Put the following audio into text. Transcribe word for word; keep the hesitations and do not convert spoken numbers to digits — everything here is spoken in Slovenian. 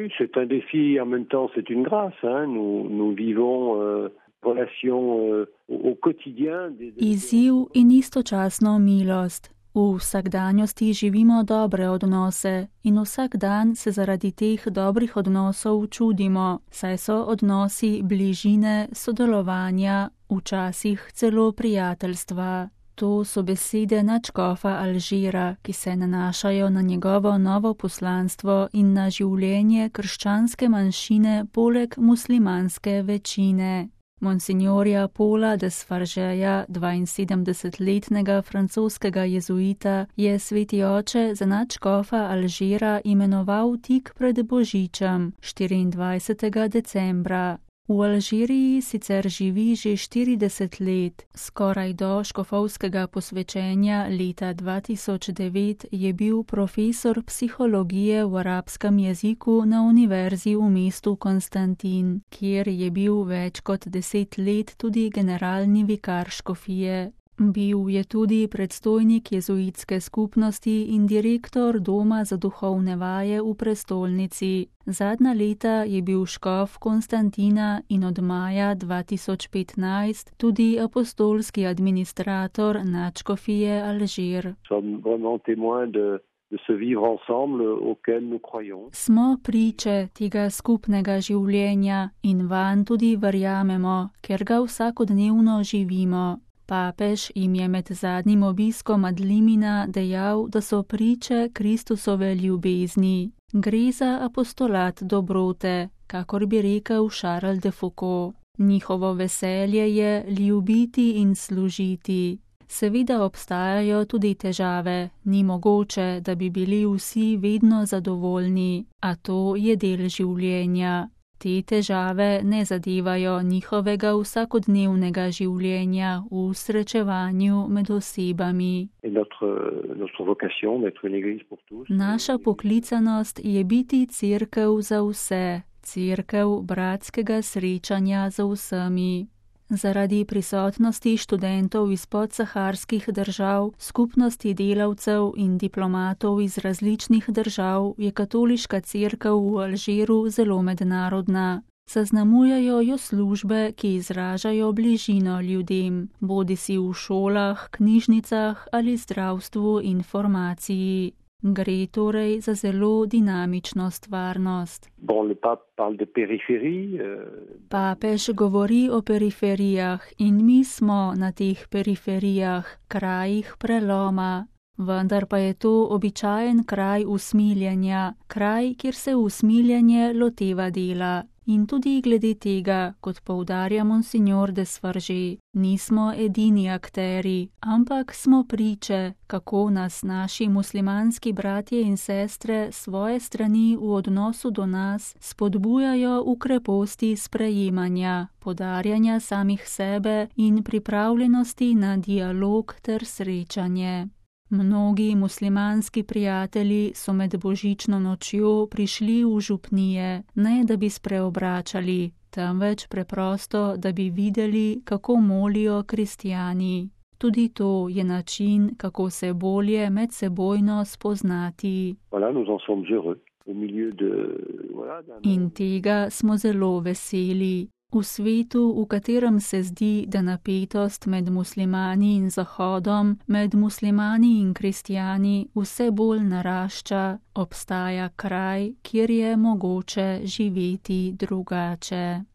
Oui, c'est un défi, en même temps c'est une grâce. Hein. Nous, nous vivons euh, relation euh, au quotidien. Des... Izziv in istočasno milost. V vsakdanjosti živimo dobre odnose in vsak dan se zaradi teh dobrih odnosov čudimo, saj so odnosi bližine, sodelovanja, včasih celo prijateljstva. To so besede nadškofa Alžira, ki se nanašajo na njegovo novo poslanstvo in na življenje krščanske manjšine poleg muslimanske večine. Monsignorja Paula Desfargeja, dvainsedemdesetletnega francoskega jezuita, je sveti oče za nadškofa Alžira imenoval tik pred Božičem, štiriindvajsetega decembra. V Alžiriji sicer živi že štirideset let. Skoraj do škofovskega posvečenja leta dva tisoč devet je bil profesor psihologije v arabskem jeziku na univerzi v mestu Konstantin, kjer je bil več kot deset let tudi generalni vikar škofije. Bil je tudi predstojnik jezuitske skupnosti in direktor Doma za duhovne vaje v prestolnici. Zadnja leta je bil škof Konstantina in od maja dva tisoč petnajst tudi apostolski administrator nadškofije Alžir. Smo priče tega skupnega življenja in vanj tudi verjamemo, ker ga vsakodnevno živimo. Papež jim je med zadnjim obiskom ad limina dejal, da so priče Kristusove ljubezni. Gre za apostolat dobrote, kakor bi rekel Charles de Foucault. Njihovo veselje je ljubiti in služiti. Seveda obstajajo tudi težave, ni mogoče, da bi bili vsi vedno zadovoljni, a to je del življenja. Te težave ne zadevajo njihovega vsakodnevnega življenja v srečevanju med osebami. Naša poklicanost je biti cerkev za vse, cerkev bratskega srečanja za vsemi. Zaradi prisotnosti študentov iz podsaharskih držav, skupnosti delavcev in diplomatov iz različnih držav je katoliška cerkev v Alžiru zelo mednarodna. Zaznamujejo jo službe, ki izražajo bližino ljudem, bodisi v šolah, knjižnicah ali zdravstvu in formaciji. Gre torej za zelo dinamično stvarnost. Papež govori o periferijah in mi smo na teh periferijah, krajih preloma. Vendar pa je to običajen kraj usmiljenja, kraj, kjer se usmiljenje loteva dela. In tudi glede tega, kot poudarja monsignor Desfarge, nismo edini akteri, ampak smo priče, kako nas naši muslimanski bratje in sestre svoje strani v odnosu do nas spodbujajo v kreposti sprejemanja, podarjanja samih sebe in pripravljenosti na dialog ter srečanje. Mnogi muslimanski prijatelji so med božično nočjo prišli v župnije, ne da bi spreobračali, temveč preprosto, da bi videli, kako molijo kristjani. Tudi to je način, kako se bolje medsebojno spoznati. In tega smo zelo veseli. V svetu, v katerem se zdi, da napetost med muslimani in Zahodom, med muslimani in kristjani vse bolj narašča, obstaja kraj, kjer je mogoče živeti drugače.